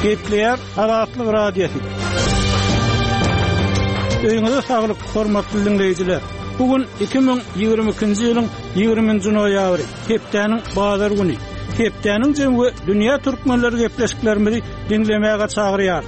Gepleýär Azatlyk Radiosy. Öýüňize saglyk, hormatly diňleýjiler! Bu gün 2022-nji ýylyň 20-nji noýabry, hepdäniň bazar güni. Hepdäniň jemi we dünýä türkmenleri gepleşiklerimizi diňlemäge çagyrýar.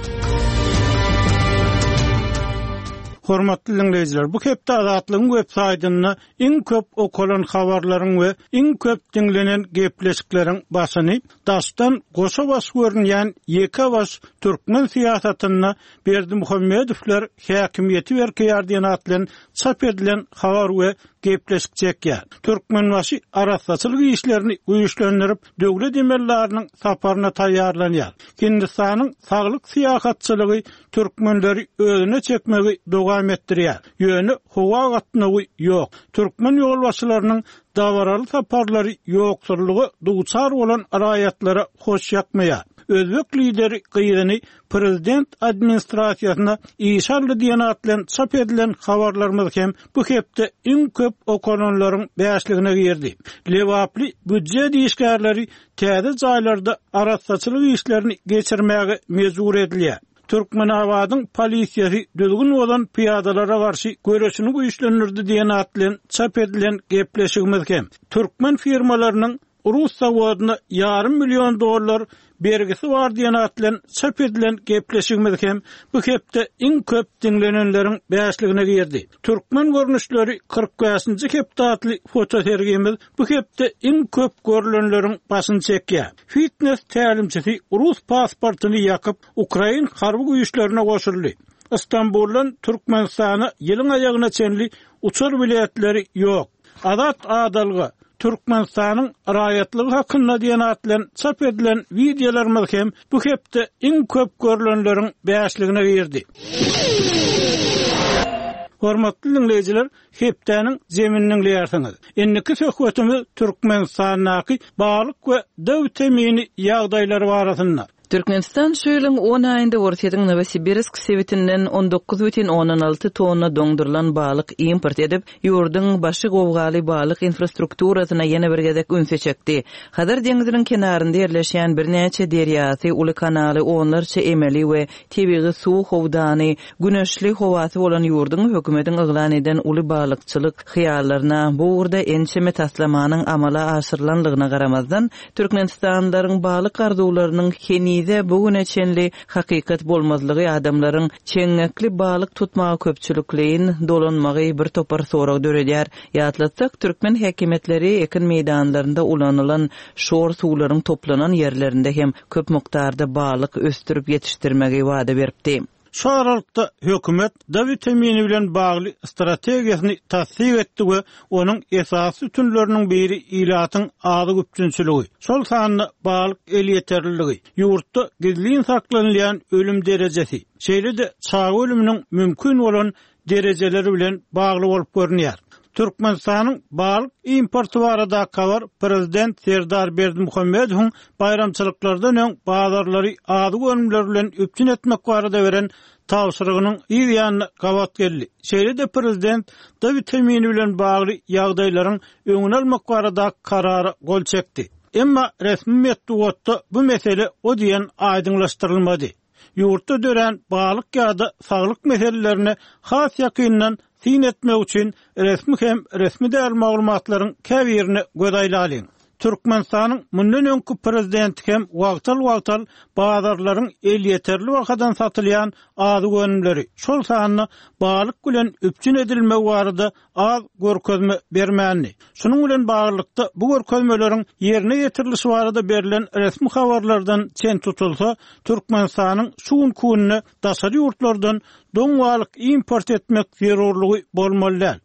Hormatly diňleýjiler, bu hepde Azatlygyň web saýtynda iň köp okalan habarlaryň we iň köp diňlenen gepleşikleriň başyny daşdan goşa baş görünýän ýeke baş türkmen syýasatynda Berdimuhamedowlar häkimiýeti berkeýär diýen at bilen çap edilen habar we gepleşik çekýär. Türkmenbaşy arassaçylyk işlerini güýçlendirip, döwlet emeldarynyň saparyna taýýarlanýar. Hindistanyň saglyk syýahatçylygy türkmenleri özüne çekmegi dowam etdirýär. Ýöne howa gatnawy ýok. Türkmen ýolbaşçylarynyň dabaraly saparlary ýoksullyga duçar bolan raýatlara hoş ýakmaýar. Özbek lideri gyzyny prezident administrasiýasyna işe aldy diýen at bilen çap edilen habarlarymyz hem bu hepde iň köp okalanlaryň bäşligine girdi. Lebaply býujet işgärleri täze jaýlarda arassaçylyk işlerini geçirmäge mejbur edilýär. Türkmenabadyň polisiýasy düzgün bozan pyýadalara garşy göreşini güýçlendirdi diýen at bilen çap edilen gepleşigimiz hem türkmen firmalarynyň rus zawodyna ýarym million dollar bergisi bar diýen at bilen çap edilen gepleşigimiz hem bu hepde iň köp diňlenenleriň bäşligine girdi. Türkmen görnüşleri 45-nji hepde atly fotosergimiz bu hepde iň köp görlenleriň başyny çekýär. Fitnes tälimçisi rus pasportyny ýakyp, ukrain harby güýçlerine goşuldy. Stambuldan Türkmenistana ýylyň aýagyna çenli uçar biletleri ýok. Azat adalga, Türkmenistanyň raýatlygy hakynda diýen at bilen çap edilen wideolarymyz hem bu hepde iň köp görlenleriň bäşligine girdi. Hormatly diňleýjiler, hepdäniň jemini diňleýärsiňiz. Indiki söhbetimiz Türkmenistandaky balyk we D witamini ýagdaýlary barasynda. Türkmenistan şu ýylyň on aýynda Orsýetiň Nowosibirsk sebitinden 19,6 tonna doňdurylan balyk import edip, ýurduň başy gowgaly balyk infrastrukturasyna ýene bir gezek ünsi çekdi. Hazar deňziniň kenarynda ýerleşýän birnäçe derýasy, uly kanaly, onlarça emeli we tebigy suw howdany, güneşli howasy bolan ýurduň hökümetiň yglan eden uly balykçylyk hyýallaryna bu ugurda ençeme taslamanyň amala aşyrylanlygyna garamazdan, Türkmenistanlylaryň balyk arzuwlarynyň henize bu güne çenli hakykat bolmazlygy adamlaryň çeňňekli balyk tutmaga köpçülikleýin dolanmagy bir topar sorag döredýär. Ýatlatsak, türkmen häkimiýetleri ekin meýdanlarynda ulanylan şor suwlaryň toplanan ýerlerinde hem köp mukdarda balyk ösdürip ýetişdirmegi wada beripdi. Şu aralykda hökümet D witamini bilen bagly strategiýasyny tassyk etdi we onuň esasy sütünleriniň biri ilatyň azyk üpjünçiligi, şol sanda balyk elýeterliligi, ýurtda gizlin saklanylýan ölüm derejesi, şeýle-de çaga ölüminiň mümkin bolan derejeleri bilen bagly bolup görünýär. Türkmenistanyň balyk importy baradaky habar prezident Serdar Berdimuhamedowyň baýramçylyklardan öň bazarlary azyk önümleri bilen üpjün etmek barada beren tabşyrygynyň yz ýanyna gabat geldi. Şeýle-de prezident D witamini bilen bagly ýagdaýlaryň öňüni almak baradaky karara gol çekdi. Emma resmi metbugatda bu mesele o diýen aýdyňlaşdyrylmady. Ýurtda dörän balyk ýa-da saglyk meselelerine has ýakyndan syn etmek üçin resmi hem resmi däl maglumatlaryň käbirine göz aýlalyň. Türkmenistanyň mundan öňki prezidenti hem wagtal-wagtal bazarlaryň elýeterli bahadan satylýan azyk önümleri, şol sanda balyk bilen üpjün edilmegi barada az görkezme bermändi. Şunuň bilen baglylykda, bu görkezmeleriň ýerine ýetirilişi barada berlen resmi habarlardan çen tutulsa, Türkmenistanyň şu günki günde daşary ýurtlardan doň balyk import etmek zerurlygy bolmaly däl.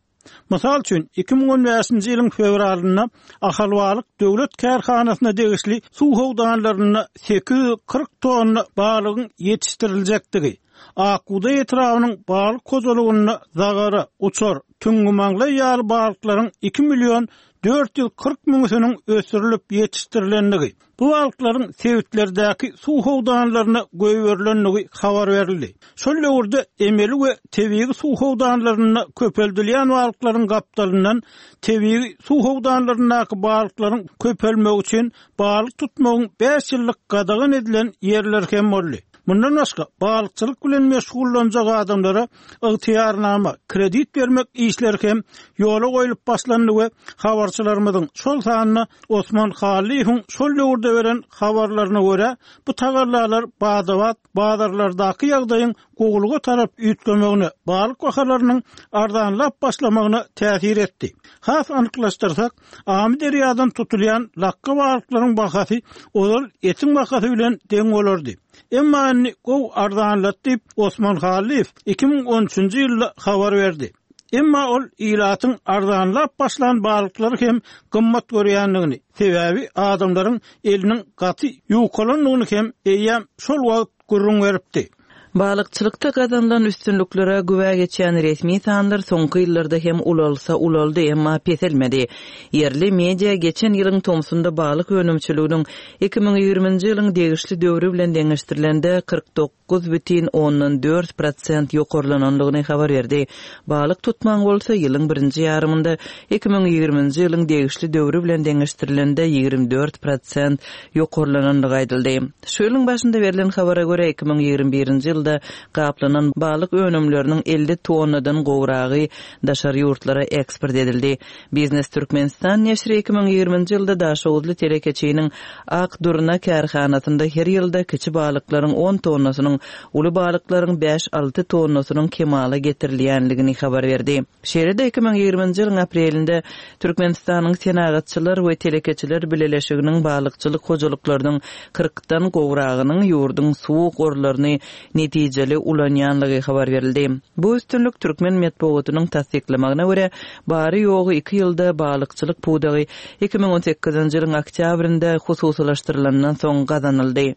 Mysal üçin, 2015-nji ýylyň fewralynda Ahalbalyk döwlet kärhanasyna degişli suw howdanlarynda 840 tonna balygyň ýetişdiriljekdigi, Ak bugdaý etrabynyň balyk hojalygynda zagara, uçar, tüňňümaňlaý ýaly balyklaryň 2 million 440 müňüsiniň ösdürilip ýetişdirilendigi, bu balyklaryň sebitlerdäki suw howdanlaryna goýberilendigi habar berildi. Şol döwürde emeli we tebigy suw howdanlarynda köpeldilýän balyklaryň gapdalyndan tebigy suw howdanlaryndaky balyklaryň köpelmegi üçin balyk tutmagyň bäş ýyllyk gadagan edilen ýerleri hem boldy. Mundan başga, balykçylyk bilen meşgullanjak adamlara ygtyýarnama, kredit bermek işleri hem ýola goýlup başlandy we habarçylarymyzyň, şol sanda Osman Hallyýewiň şol döwürde beren habarlaryna görä, bu tagallalar bada-bat bazarlardaky ýagdaýyň gowulyga tarap üýtgemegine, balyk bahalarynyň arzanlap başlamagyna täsir etdi. Has anyklaşdyrsak, Amyderýadan tutulýan lakga balyklaryň bahasy ozal etiň bahasy bilen deň bolardy. Emma indi gowy arzanlady diýip, Osman Hallyýew 2013-nji ýylda habar berdi. Emma ol ilatyň arzanlap başlan balyklary hem gymmat görýändigini, sebäbi adamlaryň eliniň gaty ýukalandygyny hem eýýäm şol wagt gürrüň beripdi. Balykçylykda gazanylan üstünliklere güwä geçýän resmi sanlar soňky ýyllarda hem ulalsa ulaldy, emma peselmedi. Ýerli media geçen ýylyň tomsunda balyk önümçiliginiň 2020-nji ýylyň degişli döwri bilen deňeşdirilende 49,4 prosent ýokarlanandygyny habar berdi. Balyk tutmagyň bolsa ýylyň birinji ýarymynda 2020-nji ýylyň degişli döwri bilen deňeşdirilende 24 prosent ýokarlanandygy aýdyldy. Şu ýylyň başynda berlen habara görä, 2021-nji ýylda gaplanan balyk önümleriniň 50 tonnadan gowragy daşary ýurtlara eksport edildi. Biznes Türkmenistan neşiri 2020-nji ýylda daşoguzly telekeçiniň Ak durna kärhanasynda her ýylda kiçi balyklaryň on tonnasynyň, uly balyklaryň bäş-alty tonnasynyň kemala getirilýändigini habar berdi. Şeýle-de 2020-nji ýylyň aprelinde Türkmenistanyň Senagatçylar we telekeçiler bileleşiginiň balykçylyk hojalyklarynyň kyrkdan gowragynyň ýurduň suw gorlaryny netijeli ulanýanlygy habar berildi. Bu üstünlik türkmen metbugatynyň tassyklamagyna görä, bary-ýogy iki ýylda balykçylyk pudagy 2018-nji ýylyň oktýabrynda hususylaşdyrylandan soň gazanyldy.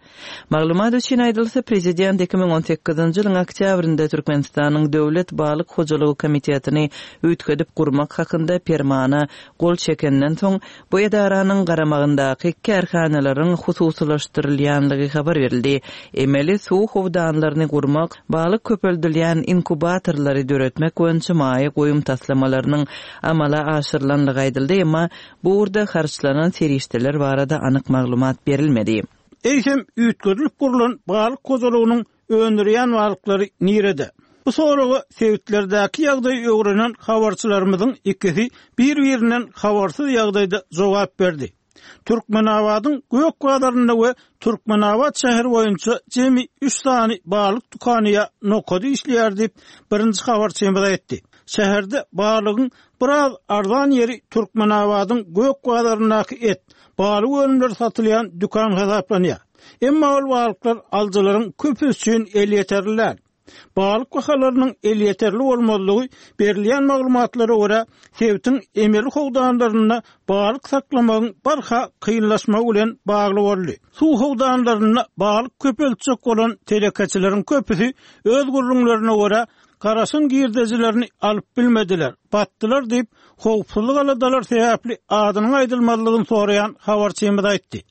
Maglumat üçin aýdylsa, prezident 2018-nji ýylyň oktýabrynda Türkmenistanyň Döwlet balyk hojalygy komitetini üýtgedip gurmak hakynda Permana gol çekenden soň, bu edaranyň garamagyndaky kärhanalaryň hususylaşdyrylýanlygy habar berildi. Emeli suw howdanlaryny gurmak, balyk köpeldilýän inkubatorlary döretmek boýunça maýa goýum taslamalarynyň amala aşyrylanlygy aýdyldy, emma bu ugurda harçlanan serişdeler barada anyk maglumat berilmedi. Eýsem, üýtgedilip gurlan balyk hojalygynyň öndürýän balyklary nirede? Bu soraga sebitlerdäki ýagdaýy öwrenen habarçylarymyzyň ikisi bir-birinden habarsyz ýagdaýda jogap berdi. Türkmenabadyň Gök bazarynda we Türkmenabat şäheri boýunça jemi üç sany balyk dükany ýa nokady işleýär diýip, birinji habarçymyz aýtdy. Şäherde balygyň biraz arzan ýeri Türkmenabadyň Gök bazaryndaky et, balyk önümleri satylýan dükan hasaplanýar. Emma ol balyklar alyjylaryň köpüsi üçin elýeterli däl. Balyk bahalarynyň elýeterli bolmazlygy berilýän maglumatlara görä, sebitiň emeli howdanlarynda balyk saklamagyň barha kynlaşmagy bilen bagly boldy. Suw howdanlarynda balyk köpeltjek bolan telekeçileriň köpüsi öz gürrüňlerine görä, garaşan girdejilerini alyp bilmediler, batdylar diýip, howpsuzlyk aladalary sebäpli adynyň aýdylmazlygyny soraýan habarçymyz aýtdy.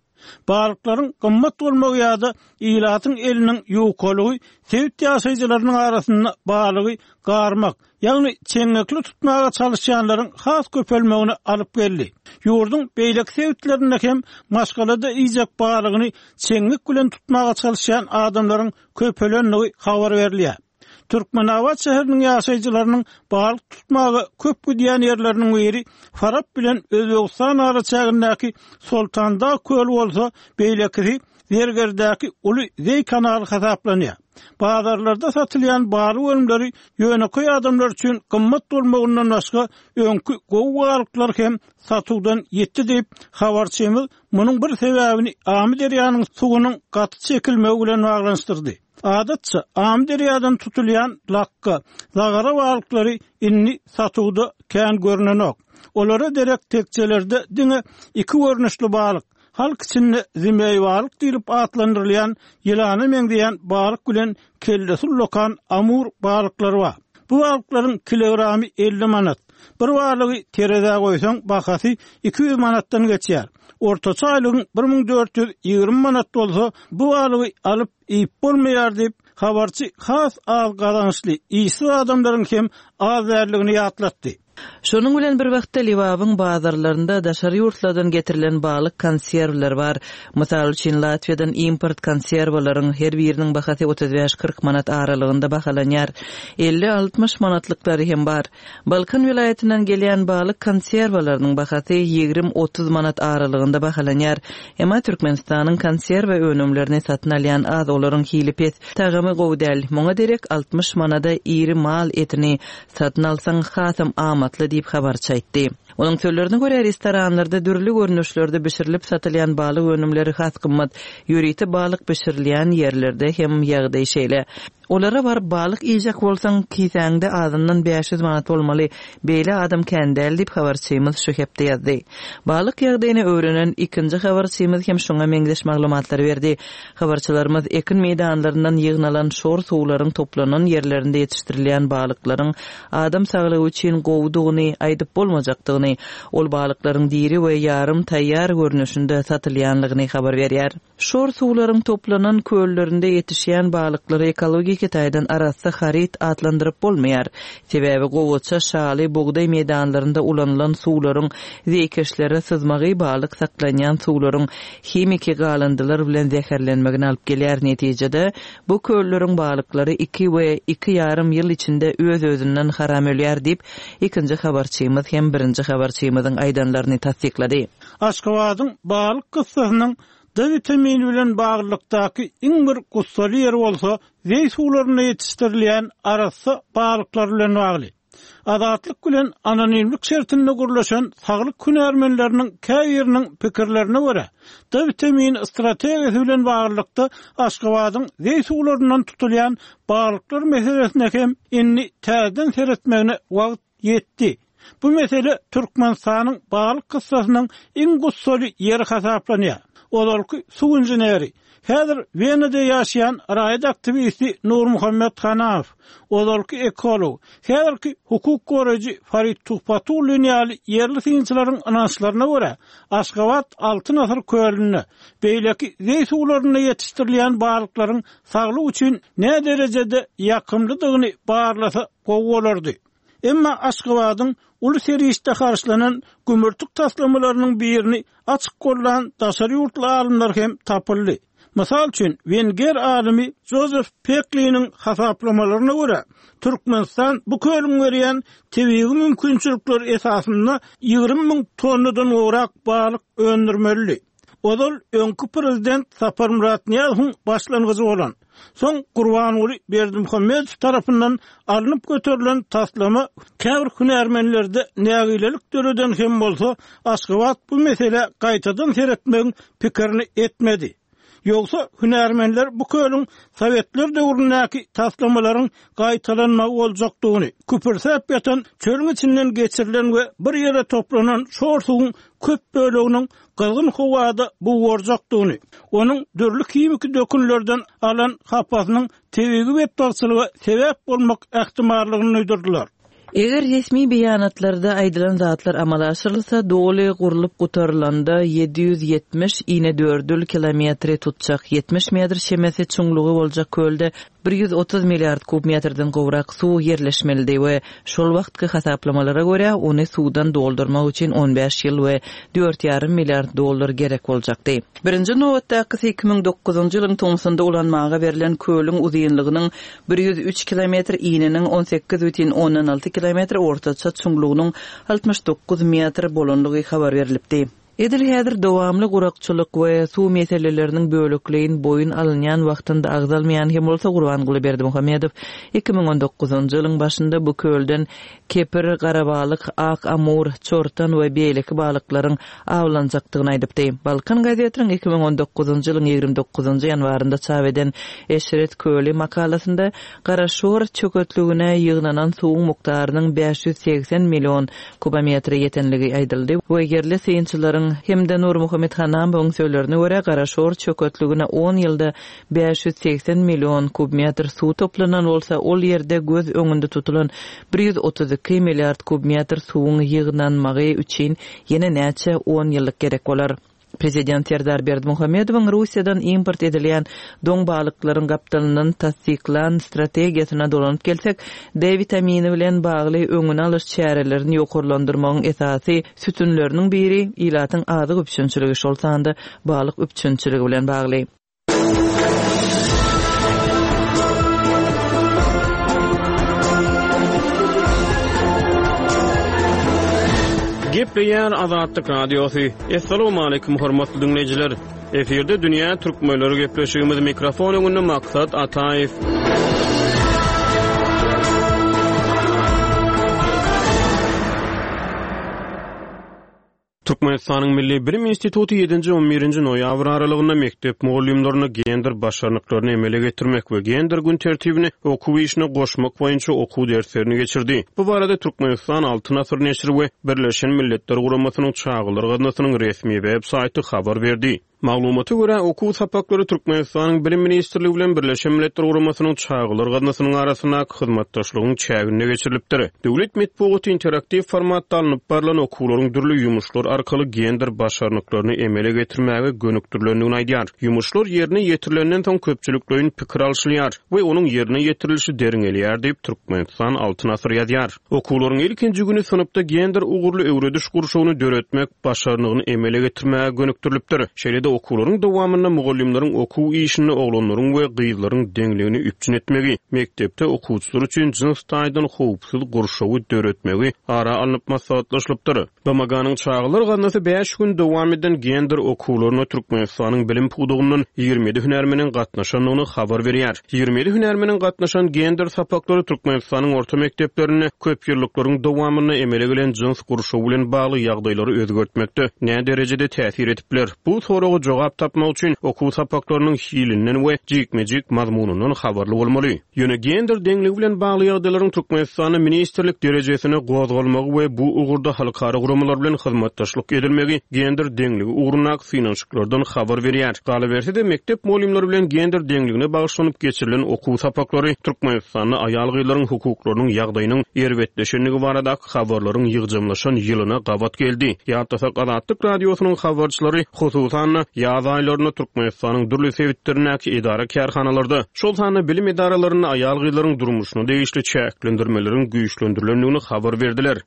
Balyklaryň gymmat bolmagy ýa-da ilatyň eliniň ýukalygy sebit ýaşaýjylarynyň arasynda balygy garmak, ýagny çeňňekli tutmaga çalyşýanlaryň has köpelmegine alyp geldi. Ýurduň beýleki sebitlerinde hem maşgalada iýjek balygyny çeňňek bilen tutmaga çalyşýan adamlaryň köpelendigi habar berilýär. Türkmenabat şäheriniň ýaşaýjylarynyň balyk tutmaga köp gidýän ýerleriniň biri Farap bilen Özbegistan araçägindäki Soltandag köli bolsa, beýlekisi Zergerdäki uly zeý kanaly hasaplanýar. Bazarlarda satylýan balyk önümleri ýönekeý adamlar üçin gymmat bolmagyndan başga, öňki gowy balyklar hem satuwdan ýitdi diýip, habarçymyz munuň bir sebäbini Amyderýanyň suwunyň gaty çekilmegi bilen baglanyşdyrdy. Adatça, Amyderýadan tutulýan lakga, zagara balyklary indi satuwda kän görnenok. Olara derek tekjelerde diňe iki görnüşli balyk, Halk içinde zimeý balyk diýlip atlandyrylýan ýylana meňzeýän balyk bilen kellesi ullakan amur balyklary bar. Bu balyklaryň kilogramy 50 manat. Bir balygy terezä goýsaň, bahasy 200 manatdan geçýär. Ortaça aýlygyň 1420 manat bolsa, bu balygy alyp iýip bolmaýar diýip, habarçy has az gazançly, işsiz adamlaryň hem az däldigini ýatlatdy. Şonuň bilen bir wagtda Lebabyň bazarlarynda daşary ýurtlardan getirilen balyk konserwleri bar. Mysal üçin, Latwiýadan import konserwalaryň her biriniň bahasy 35-40 manat aralygynda bahalanýar. 50-60 manatlyklary hem bar. Balkan welaýatyndan gelýän balyk konserwalarynyň bahasy 20-30 manat aralygynda bahalanýar. Emma Türkmenistanyň konserwa önümlerini satyn alýan az, olaryň hili pes, tagamy gowy däl. Muňa derek 60 manada iri mal etini Satyn alsaň hasam amatly diýip, habarçy aýtdy. Onuň sözlerine görä, restoranlarda dürli görnüşlerde bişirilip satylýan balyk önümleri has gymmat. Ýörite balyk bişirilýän ýerlerde hem ýagdaý şeýle. Olara baryp balyk iýjek bolsaň, kisäňde azyndan 500 manat bolmaly. Beýle adam kän däl diýip, habarçymyz şu hepde ýazdy. Balyk ýagdaýyny öwrenen ikinji habarçymyz hem şuňa meňzeş maglumatlary berdi. Habarçylarymyz ekin meýdanlaryndan ýygnalan şor suwlaryň toplanan ýerlerinde ýetişdirilýän balyklaryň adam saglygy üçin gowudygyny aýdyp bolmajakdygyny, ol balyklaryň diri we ýarym taýýar görnüşinde satylýanlygyny habar berýär. Şor suwlaryň toplanan köllerinde ýetişýän balyklary ekologik taýdan arassa haryt atlandyryp bolmaýar. Sebäbi gowaça, şaly, bugdaý meýdanlarynda ulanylan suwlaryň zeýkeşlere syzmagy balyk saklanýan suwlaryň himiki galyndylar bilen zäherlenmegine alyp gelýär. Netijede, bu kölleriň balyklary iki we iki ýarym ýyl içinde öz-özünden haram ölýär diýip, ikinji habarçymyz hem birinji habarçymyzyň aýdanlaryny tassyklady. Aşgabadyň balyk kyssasynyň D witamini bilen baglylykdaky iň bir gussaly ýeri bolsa, zeý suwlarynda ýetişdirilýän arassa balyklar bilen bagly. Azatlyk bilen anonimlik şertinde gürleşen saglyk hünärmenleriniň käbiriniň pikirlerine görä, D witamini strategiýasy bilen baglylykda Aşgabadyň zeý suwlaryndan tutulýan balyklar meselesine hem indi täzeden seretmegine wagt ýetdi. Bu mesele Türkmenistanyň balyk kyssasynyň iň gussaly ýeri hasaplanýar. Ozalky suw inženeri, häzir Wenada ýaşaýan raýat aktiwisti Nurmuhammet Hanamow, ozalky ekolog, häzirki hukuk goraýjy Farid Tuhbatullin ýaly ýerli synçylaryň ynançlaryna görä, Aşgabat Altyn asyr kölünde, beýleki zeý suwlarynda ýetişdirilýän balyklaryň saglyk üçin näderejede ýakymlydygyny barlasa gowy bolardy. Emma Aşgabadyň uly serişde harçlanan gümürtik taslamalarynyň birini açyk gollan daşary ýurtly alymlar hem tapyldy. Mysal üçin, wenger alymy Jozef Pekliniň hasaplamalaryna görä, Türkmenistan bu kölüň berýän tebigy mümkinçilikleri esasynda 20 müň tonnadan gowrak balyk öndürmelidi. Ozal öňki prezident Saparmyrat Nyýazowyň başlangyjy bolan, soň Gurbanguly Berdimuhamedow tarapyndan alnyp göterilen taslama käbir hünärmenlerde nägilelik döreden hem bolsa, Aşgabat bu meselä gaýtadan seretmegiň pikirini etmedi. Ýogsa, hünärmenler bu kölüň sowetler döwründäki taslamalaryň gaýtalanmagy boljakdygyny, küpürsäp ýatan çölüň içinden geçirilen we bir ýere toplanan şor suwuň köp böleginiň gyzgyn howada bugarjakdygyny, onuň dürli himiki dökünlerden alan hapasynyň tebigy betbagtçylyga sebäp bolmak ähtimallygyny duýdurdylar. Eger resmi beýanatlarda aýdylan zatlar amala aşyrylsa, doly gurlup gutarylanda 770 inedördül kilometri tutjak, 70 metr çemesi çuňlugy boljak kölde 130 milliard kub metrden gowrak suw ýerleşmelidi we şol wagtky hasaplamalara görä, ony suwdan doldurmak üçin on bäş ýyl we dört ýarym milliard dollar gerek boljakdy. Birinji nobatdakysy 2009-njy ýylyň tomsunda ulanmaga berlen kölüň uzynlygynyň 103 kilometr, ininiň 18,6 kilometr, ortaça çuňlugynyň 69 metr bolandygy habar berlipdi. Edil häzir dowamly gurakçylyk we suw meseleleriniň bölekleýin boýun alynýan wagtynda agzalmaýan hem bolsa, Gurbanguly Berdimuhamedow 2019-njy ýylyň başynda bu kölden kepir, garabalyk, ak amur, çortan we beýleki balyklaryň awlanjakdygyny aýdypdy. Balkan gazetiniň 2019-njy ýylyň 29-njy ýanwarynda çap eden Eşret köli makalasynda Garaşor çöketligine ýygnanan suwuň mukdarynyň 580 million kubometre ýetenligi aýdyldy we ýerli synçylaryň. Berdimuhamedowyň hem-de Nurmuhammet Hanamowyň sözlerine görä, Garaşor çöketligine on ýylda 580 million kubmetr suw toplanan bolsa, ol ýerde göz öňünde tutulan 132 milliard kubmetr suwuň ýygnanmagy üçin ýene näçe on ýyllyk gerek bolar? Prezident Serdar Berdimuhamedowyň Russiýadan import edilýän doň balyklaryň gapdalyndan tassyklan strategiýasyna dolanyp gelsek, D witamini bilen bagly öňüni alyş çärelerini ýokarlandyrmagyň esasy sütünleriniň biri ilatyň azyk üpjünçiligi, şol sanda balyk üpjünçiligi bilen bagly. Gepleýär Azatlyk Radiosy. Assalamualaikum hormatly diňleýjiler. Efirde dünýä türkmenleri gepleşigimiz mikrofon öňünde Maksat Ataýew. Türkmenistanyň Milli bilim instituty ýedinji-on birinji noýabr aralygynda mekdep mugallymlaryna gender başarnyklaryny emele getirmek we gender gün tertibini okuw işine goşmak boýunça okuw derslerini geçirdi. Bu barada Türkmenistan Altyn asyr neşiri we Birleşen Milletler Guramasynyň Çagalar gaznasynyň resmi web saýty habar berdi. Maglumata görä, okuw sapaklary Türkmenistanyň Bilim ministrligi bilen Birleşen Milletler Guramasynyň Çagalar gaznasynyň arasyndaky hyzmatdaşlygyň çäginde geçirilipdir. Döwlet metbugaty interaktiw formatda alnyp barlan okuwlaryň dürli ýumuşlar arkaly gender başarnyklaryny emele getirmäge gönükdirilendigini aýdýar. Ýumuşlar ýerine ýetirilenden soň köpçülikleýin pikir alşylýar we onuň ýerine ýetirilişi derňelýär diýip, Türkmenistan Altyn asyr ýazýar. Okuwlaryň ilkinji güni synpda gender ugurly öwrediş gurşawyny döretmek başarnygyny emele getirmäge gönükdirilipdir. Şeýle-de okuwlaryň dowamynda mugallymlaryň okuw işinde oglanlaryň we gyzlaryň deňligini üpjün etmegi, mekdepde okuwçylar üçin jyns taýdan howpsuz gurşawy döretmegi ara alnyp maslahatlaşylypdyr. BMG-niň Çagalar gaznasy bäş gün dowam eden gender okuwlaryna Türkmenistanyň bilim pudagyndan 27 hünärmeniň gatnaşandygyny habar berýär. 27 hünärmeniň gatnaşan gender sapaklary Türkmenistanyň orta mekdeplerinde köp ýyllyklaryň dowamynda emele gelen jyns gurşawy bilen bagly ýagdaýlary özgertmekde näderejede täsir edip biler? Bu soraga jogap tapmak üçin okuw sapaklarynyň hilinden we jikme-jik mazmunyndan habarly bolmaly. Ýöne gender deňligi bilen bagly ýagdaýlaryň Türkmenistanda ministrlik derejesinde gozgalmagy we bu ugurda halkara guramalar bilen hyzmatdaşlyk edilmegi gender deňligi ugrundaky synanyşyklardan habar berýär. Galyberse-de, mekdep mugallymlary bilen gender deňligine bagyşlanyp geçirilen okuw sapaklary Türkmenistanda aýal-gyzlaryň hukuklarynyň ýagdaýynyň erbetleşendigi baradaky habarlaryň ýygjamlaşan ýylyna gabat geldi. Ýatlasak, Azatlyk Radiosynyň habarçylary, hususan-da, ýaz aýlarynda Türkmenistanyň dürli sebitlerindäki edara-kärhanalarda, şol sanda bilim edaralarynda aýal-gyzlaryň durmuşyna degişli çäklendirmeleriň güýçlendirilendigini habar berdiler.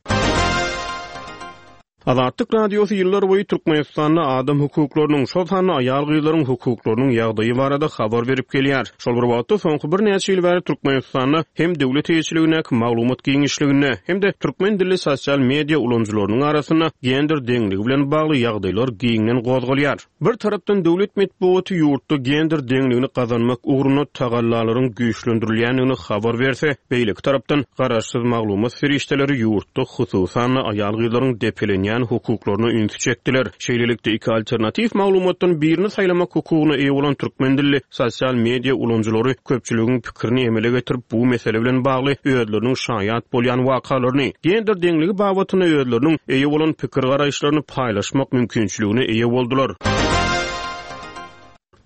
Azatlyk Radiosy ýyllar boýy Türkmenistanda adam hukuklarynyň, şol sanda aýal-gyzlaryň hukuklarynyň ýagdaýy barada habar berip gelýär. Şol bir wagtda, soňky birnäçe ýyl bäri Türkmenistanda hem döwlet eýeçiligindäki maglumat giňişliginde, hem-de türkmen dilli sosial media ulanyjylarynyň arasynda gender deňligi bilen bagly ýagdaýlar giňden gozgalýar. Bir tarapdan döwlet metbugaty ýurtda gender deňligini gazanmak ugrunda tagallalaryň güýçlendirilýändigini habar berse, beýleki tarapdan garaşsyz maglumat serişdeleri ýurtda hususan-da aýal-gyzlaryň depelenýän hukuklaryna ünsi çekdiler. Şeýlelikde, iki alternatiw maglumatdan birini saýlamak hukugyna eýe bolan türkmen dilli sosial media ulanyjylary köpçüligiň pikirini emele getirip, bu mesele bilen bagly özleriniň şaýat bolýan wakalaryny, gender deňligi babatynda özleriniň eýe bolan pikir-garaýyşlaryny paýlaşmak mümkinçiligine eýe boldular.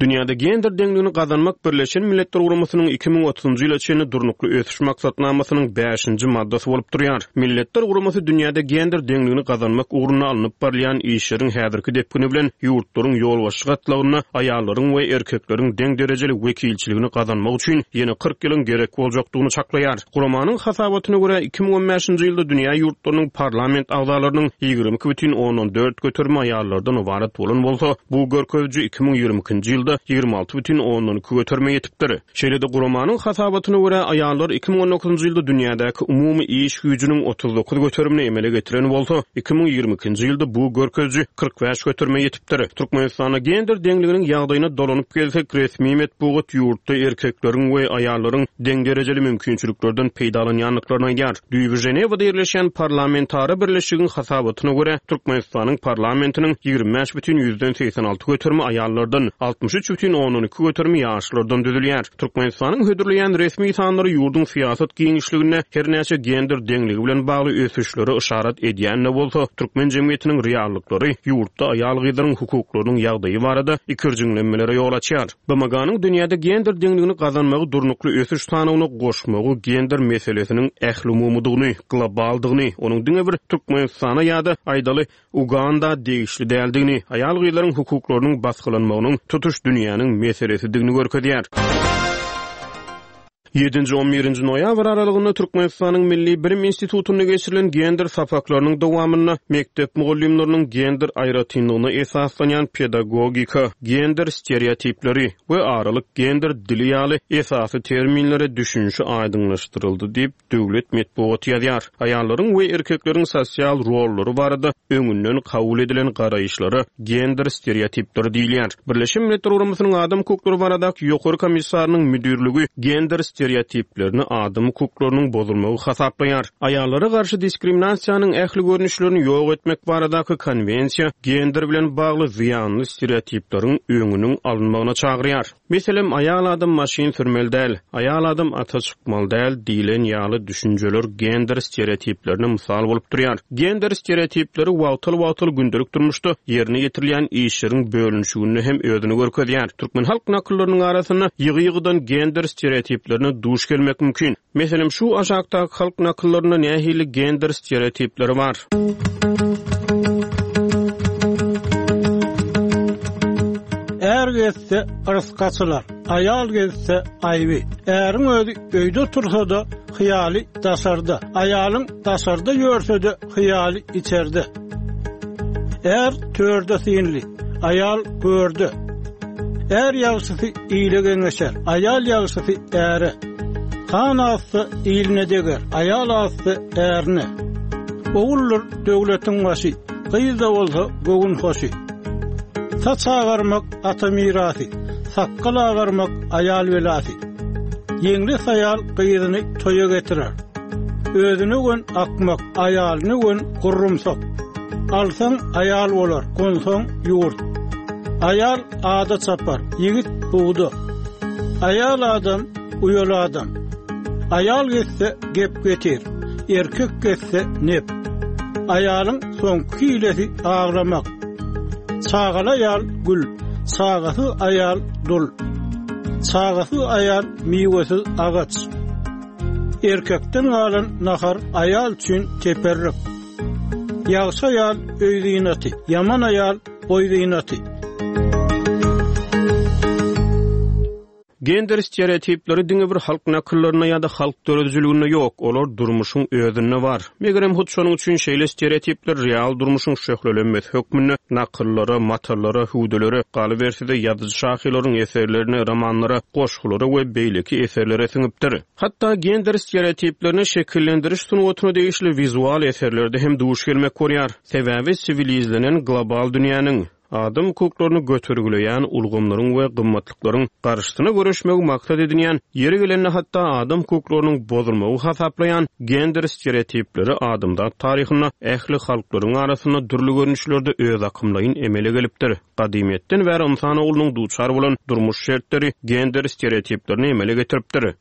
Dünýäde gender deňligini gazanmak Birleşen Milletler Guramasynyň 2030-njy ýyla çenli Durnukly ösüş maksatnamasynyň bäşinji maddasy bolup durýar. Milletler Guramasy dünýäde gender deňligini gazanmak ugrunda alnyp barylýan işleriň häzirki depgini bilen ýurtlaryň ýolbaşçy gatlagynda aýallaryň we erkekleriň deň derejeli wekilçiligini gazanmak üçin ýene 40 ýylyň gerek boljakdygyny çaklaýar. Guramanyň hasabatyna görä, 2015-nji ýylda dünýä ýurtlarynyň parlament agzalarynyň 22,4 göterimi aýallardan ybarat bolan bolsa, bu görkeziji 2022-nji ýylda 26,2 göterime ýetipdir. Şeýle-de guramanyň hasabatyna görä, aýallar 2019-njy ýylda dünýädäki umumy iş güýjüniň 39 göterimini emele getiren bolsa, 2022-nji ýylda bu görkeziji 45 göterime ýetipdir. Türkmenistanda gender deňliginiň ýagdaýyna dolanyp gelsek, resmi metbugat ýurtda erkekleriň we aýallaryň deň derejeli mümkinçiliklerden peýdalanýandyklaryny aýdýar. Düýbi Ženewada ýerleşýän Parlamentara birleşigiň hasabatyna görä, Türkmenistanyň parlamentiniň 25,86 göterimi aýallardan, 63. 73,2 göterimi ýaşlardan düzülýär. Türkmenistanyň hödürleýän resmi sanlary ýurduň syýasat giňişliginde her näçe gender deňligi bilen bagly ösüşlere yşarat edýän-de bolsa, türkmen jemgyýetiniň reallyklary ýurtda aýal-gyzlaryň hukuklarynyň ýagdaýy barada ikirjiňlenmelere ýol açýar. BMG-niň dünýäde gender deňligini gazanmagy durnukly ösüş sanawyna goşmagy gender meselesiniň ählumumydygyny, globaldygyny, onuň diňe bir Türkmenistana ýa-da, aýdaly, Uganda degişli däldigini, aýal-gyzlaryň hukuklarynyň basgylanmagynyň tutuş dünýäniň meselesidigini görkezýär. Ýedinji-on birinji noýabr aralygynda Türkmenistanyň Milli bilim institutynda geçirilen gender sapaklarynyň dowamynda mekdep mugallymlarynyň gender aýratynlygyna esaslanýan pedagogika, gender stereotipleri we aralyk gender dili ýaly esasy terminlere düşünişi aýdyňlaşdyryldy diýip, döwlet metbugaty ýazýar. Aýallaryň we erkekleriň sosial rollary barada öňünden kabul edilen garaýyşlara gender stereotipleri diýilýär. Birleşen Milletler Guramasynyň Adam hukuklary baradaky Ýokary komissarynyň müdirligi gender stereotiplerini adam hukuklarynyň bozulmagy hasaplaýar. Aýallara garşy diskriminasiýanyň ähli görnüşlerini ýok etmek baradaky konwensiýa gender bilen bagly zyýanly stereotipleriň öňüniň alynmagyna çagyrýar. Meselem, aýal adam maşyn sürmeli däl, aýal adam ata çykmaly däl diýlen ýaly düşünjeler gender stereotiplerine mysal bolup durýar. Gender stereotipleri wagtal-wagtal gündelik durmuşda ýerine ýetirilýän işleriň bölünişiginde hem özüni görkezýär. Türkmen halk nakyllarynyň arasynda ýygy-ýygydan gender stereotiplerine duş gelmek mümkin. Meselem, şu aşakdaky halk nakyllarynda nähili gender stereotipleri bar? Är gezse, yrsgy açylar, aýal gezse, aýby. Äriň özi öýde otursa-da, hyýaly daşarda. Aýalyň daşarda ýörse-de, hyýaly içerde. Är törde synly, aýal görde. Är ýagşysy ile geňeşer, aýal ýagşysy äre. Han azsa iline deger, aýal azsa ärine. Oguldyr döwletiň başy, gyz-da bolsa göwün hoşy. Saç agarmak ata mirasy, sakgal agarmak aýal belasy. Ýeňles aýal gyzyny toýa getirer. Özüne gön akmak, aýalyna gön gurrumsak. Alsaň aýal bolar, gonsaň ýurt. Aýal ada çapar, ýigit bugda. Aýal adam, uýaly adam. Aýal gezse gep getir, erkek gezse nep. Aýalyň soňky hilesi aglamak. Çagaly aýal gül, çagasyz aýal dul. Çagasyz aýal miwesiz agaç. Erkekden galan nahar aýal üçin teperrik. Ýagşy aýal öý zynaty, ýaman aýal boý zynaty. Gender stereotipleri diňe bir halk nakyllarynda ýa-da halk döredijiliginde ýok, olar durmuşyň özünde bar. Megerem, hut şonuň üçin şeýle stereotipler real durmuşyň şöhlelenmesi hökmünde nakyllara, matallara, hüwdülere, galyberse-de, ýazyjy-şahyrlaryň eserlerine, romanlara, goşgulara we beýleki eserlere siňipdir. Hatda gender stereotiplerine şekillendiriş sungatyna degişli wizual eserlerde hem duş gelmek bolýar. Sebäbi siwilizlenen global dünýäniň, adam hukuklaryny götergileýän ulgamlaryň we gymmatlyklaryň garşysyna göreşmegi maksat edinýän, ýeri gelende hatda adam hukuklarynyň bozulmagy hasaplaýan gender stereotipleri adamzat taryhynda ähli halklaryň arasynda dürli görnüşlerde özakymlaýyn emele gelipdir. Gadymyýetden bäri ynsan oglunyň duçar bolan durmuş şertleri gender stereotiplerini emele getiripdir.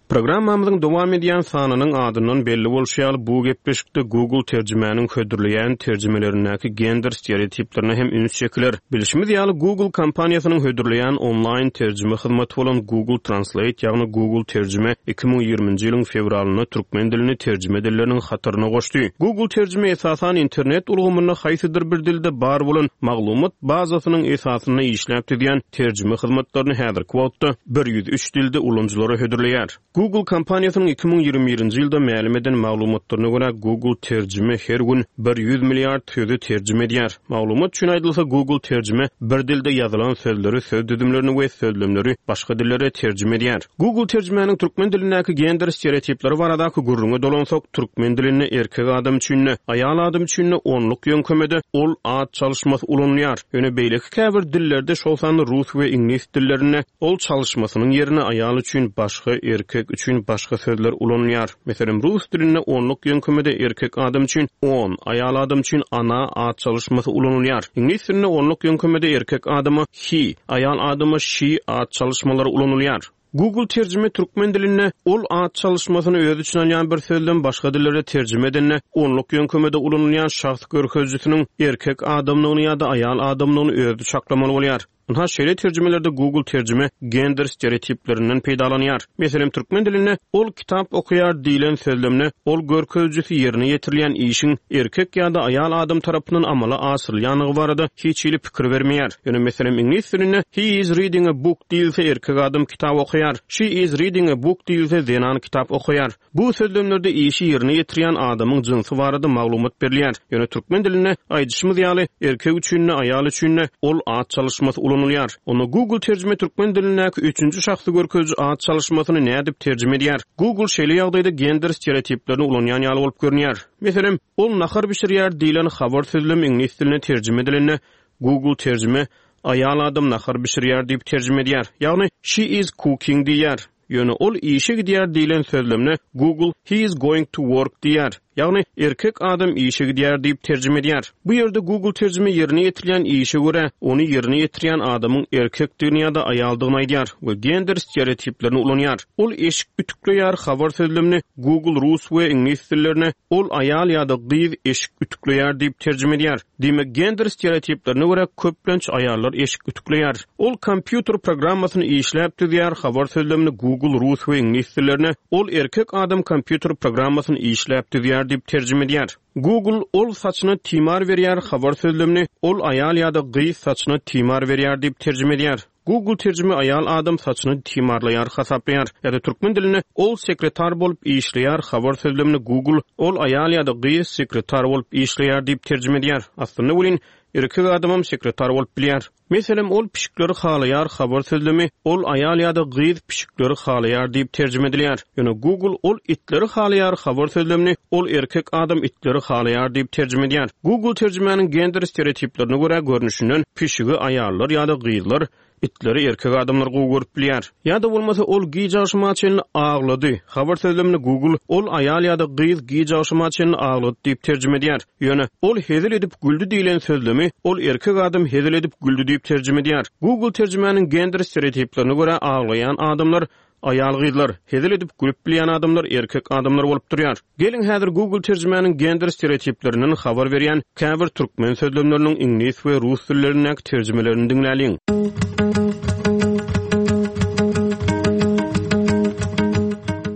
Programmamyzyň dowam edýän sanynyň adyndan belli bolşy ýaly, bu gepleşikde Google terjimäniň hödürleýän terjimelerindäki gender stereotiplerine hem üns çekiler. Bilşimiz ýaly, Google kompaniýasynyň hödürleýän onlaýn terjime hyzmaty bolan Google Translate, ýagny Google Terjime 2020-nji ýylyň fewralynda türkmen dilini terjime dilleriniň hataryna goşdy. Google Terjime esasan internet ulgamynda haýsydyr bir dilde bar bolan maglumat bazasynyň esasynda işläp düzýän terjime hyzmatlaryny häzirki wagtda 103 dilde ulanyjylara hödürleýär. Google kompaniýasynyň 2021-nji ýylda mälim eden maglumatlaryna görä, Google Terjime her gün 100 milliard sözi terjime edýär. Maglumat üçin aýdylsa, Google Terjime bir dilde ýazylan sözleri, söz düzümlerini we sözlemleri başga dillere terjime edýär. Google Terjimäniň türkmen dilindäki gender stereotipleri baradaky gürrüňe dolansak, türkmen dilinde erkek adam üçin-de, aýal adam üçin-de onluk ýöňkemede ol at çalyşmasy ulanylýar. Ýöne beýleki käbir dillerde, şol sanda rus we iňlis dillerinde ol çalyşmasynyň ýerine aýal üçin başga erkek. Erkek üçin başga sözler ulanylýar. Meselem, rus dilinde onluk ýöňkemede erkek adam üçin on, aýal adam üçin ona at çalyşmasy ulanylýar. Iňlis dilinde onluk ýöňkemede erkek adama he, aýal adama she at çalyşmalary ulanylýar. Google terjime türkmen dilinde ol at çalyşmasyny öz içine alýan bir sözlem başga dillere terjime edende onluk ýöňkemede ulanylýan şahs görkezijisiniň erkek adamdygyny ýa-da aýal adamdygyny özi çaklamaly bolýar. Ynha, şeýle terjimelerde Google terjime gender stereotiplerinden peýdalanýar. Meselem, türkmen dilinde Ol kitap okaýar diýlen sözlemde ol görkezijisi ýerine ýetirilýän işiň erkek ýa-da aýal adam tarapyndan amala aşyrylýandygy barada hiç hili pikir bermeýär. Ýöne, meselem, iňlis dilinde He is reading a book diýilse erkek adam kitap okaýar, She is reading a book diýilse zenan kitap okaýar. Bu sözlemlerde işi ýerine ýetirýän adamyň jynsy barada maglumat berilýär. Ýöne türkmen dilinde, aýdyşymyz ýaly, erkek üçin-de, aýal üçin-de ol at çalyşmasy ulanylýar. Onda Google terjime türkmen dilindäki üçünji şahsy görkeziji at çalyşmasyny nädip terjime edýär? Google şeýle ýagdaýda gender stereotiplerini ulanýan ýaly bolup görünýär. Meselem, Ol nahar bişirýär diýlen habar sözlemi iňlis diline terjime edilende, Google terjime Aýal adam nahar bişirýär diýip terjime edýär. Ýagny, She is cooking diýýär. Ýöne ol işe gidýär diýlen sözlemine Google he is going to work diýýär. Ýagny, erkek adam işe gidýär diýip terjime edýär. Bu ýerde Google terjime ýerine ýetirilýän işe görä, ony ýerine ýetirýän adamyň erkekdigini ýa-da aýaldygyny aýdýar we gender stereotiplerini ulanýar. Ol eşik ütükleýär habar sözlemini Google rus we iňlis dillerine ol aýal ýa-da gyz eşik ütükleýär diýip terjime edýär. Diýmek, gender stereotiplerine görä, köplenç aýallar eşik ütükleýär. Ol kompýuter programmasyny işläp düzýär, habar sözlemini Google rus we iňlis dillerine Ol erkek adam kompýuter programmasyny işläp düzýär diýip terjime edýär. Google Ol saçyna timar berýär habar sözlemini Ol aýal ýa-da gyz saçyna timar berýär diýip terjime edýär. Google terjime aýal adam saçyny timarlaýar hasaplaýar. Ýa-da türkmen dilinde Ol sekretar bolup işleýär habar sözlemini Google Ol aýal ýa-da gyz sekretar bolup işleýär diýip terjime edýär. Aslynda welin, erkek adamam sekretar bolup bilýär. Meselem, Ol pişikleri halaýar habar sözlemi Ol aýal ýa-da gyz pişikleri halaýar diýip terjime edilýär. Ýöne Google Ol itleri halaýar habar sözlemini Ol erkek adam itleri halaýar diýip terjime edýär. Google terjimäniň gender stereotiplerine görä görnüşinden pişigi aýallar ýa-da gyzlar, itleri erkek adamlar gowy görüp bilýär. Ýa-da bolmasa Ol giç agşama çenli aglady habar sözlemini Google Ol aýal ýa-da gyz giç agşama çenli aglady diýip terjime edýär. Ýöne, Ol hezil edip güldi diýlen sözlemi Ol erkek adam hezil edip güldi diýip terjime edýär. Google terjimäniň gender stereotiplerine görä aglaýan adamlar aýal-gyzlar, hezil edip gülüp bilýän adamlar erkek adamlar bolup durýar. Geliň häzir Google terjimäniň gender stereotiplerinden habar berýän käbir türkmen sözlemleriniň iňlis we rus dillerindäki terjimelerini diňläliň.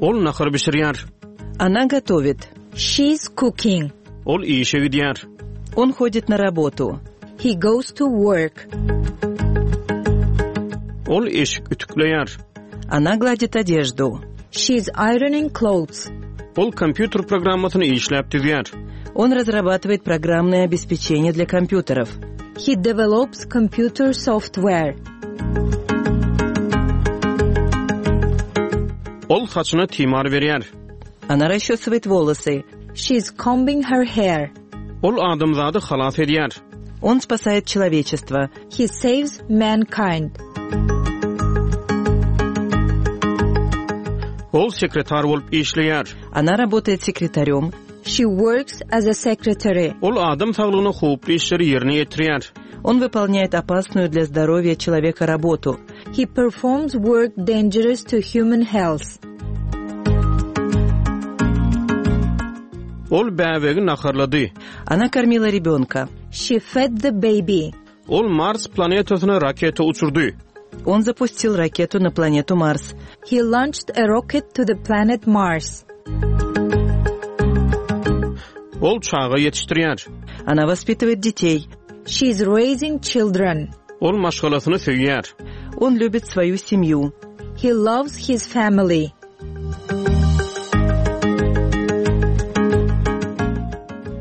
Ol nahar bişirýär. Ona gotowit. She's cooking. Ol işe gidýär. On hodit na rabotu. He goes to work. Ol eşik ütükleýär. Ona gladit odeždu. She's ironing clothes. Ol kompýuter programmasyny işläp düzýär. On razrabatywaet programmnoe obespeçeniýe dlya kompýuterow. He develops computer software. Ol saçyna timar berýär. Ona rasçesywaet wolosy. She's combing her hair. Ol adamzady halas edýär. On spasaet çeloweçestwo. He saves mankind. Ol sekretar bolup işleýär. Ona rabotaet sekretarýom. She works as a secretary. Ol adam saglygyna howply işleri ýerine ýetirýär. On wypolnýaet opasnuýu dlýa zdorowýa çeloweka rabotu. He performs work dangerous to human health. Ol bäbegi naharlady. Ona kormila rебенка. She fed the baby. Ol Mars planetasyna raketa uçurdy. On zapustil raketu na planetu Mars. He launched a rocket to the planet Mars. Ol çaga ýetişdirýär. Ona waspitywает detey. She is raising children. Ol maşgalasyny söýýär. On lýubit svoýu semýu. He loves his family.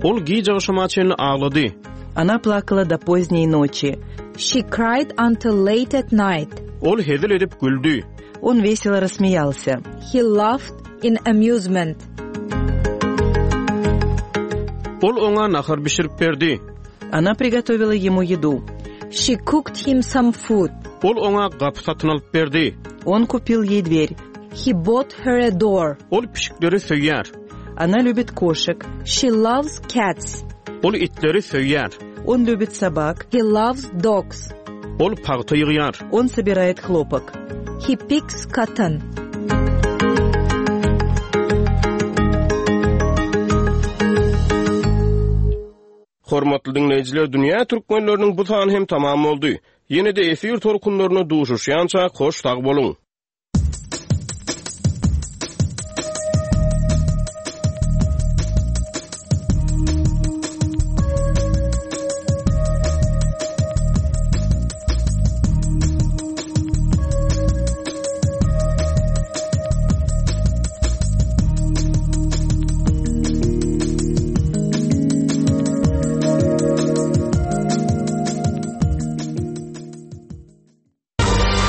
Ol giç agşama çenli aglady. Ona plakala do pozdney noçi. She cried until late at night. Ol hezil edip güldi. On weselo rassmeýalsya. He laughed in amusement. Ol oňa nahar bişirip berdi. Ona prigotowila ýemu ýedu. She cooked him some food. Ol oňa gapy satyn alyp berdi. On kupil ýeý dwer. He bought her a door. Ol pişikleri söýýär. Ona любит кошек. She loves cats. Ol itleri söýýär. Он любит собак. He loves dogs. Ol pagta ýygýar. Он собирает хлопок. He picks cotton. Hormatly diňleýjiler, Dünýä türkmenleriniň bu sany hem tamam boldy. Ýene-de efir tolkunlarynda duşuşýançak hoş sag boluň!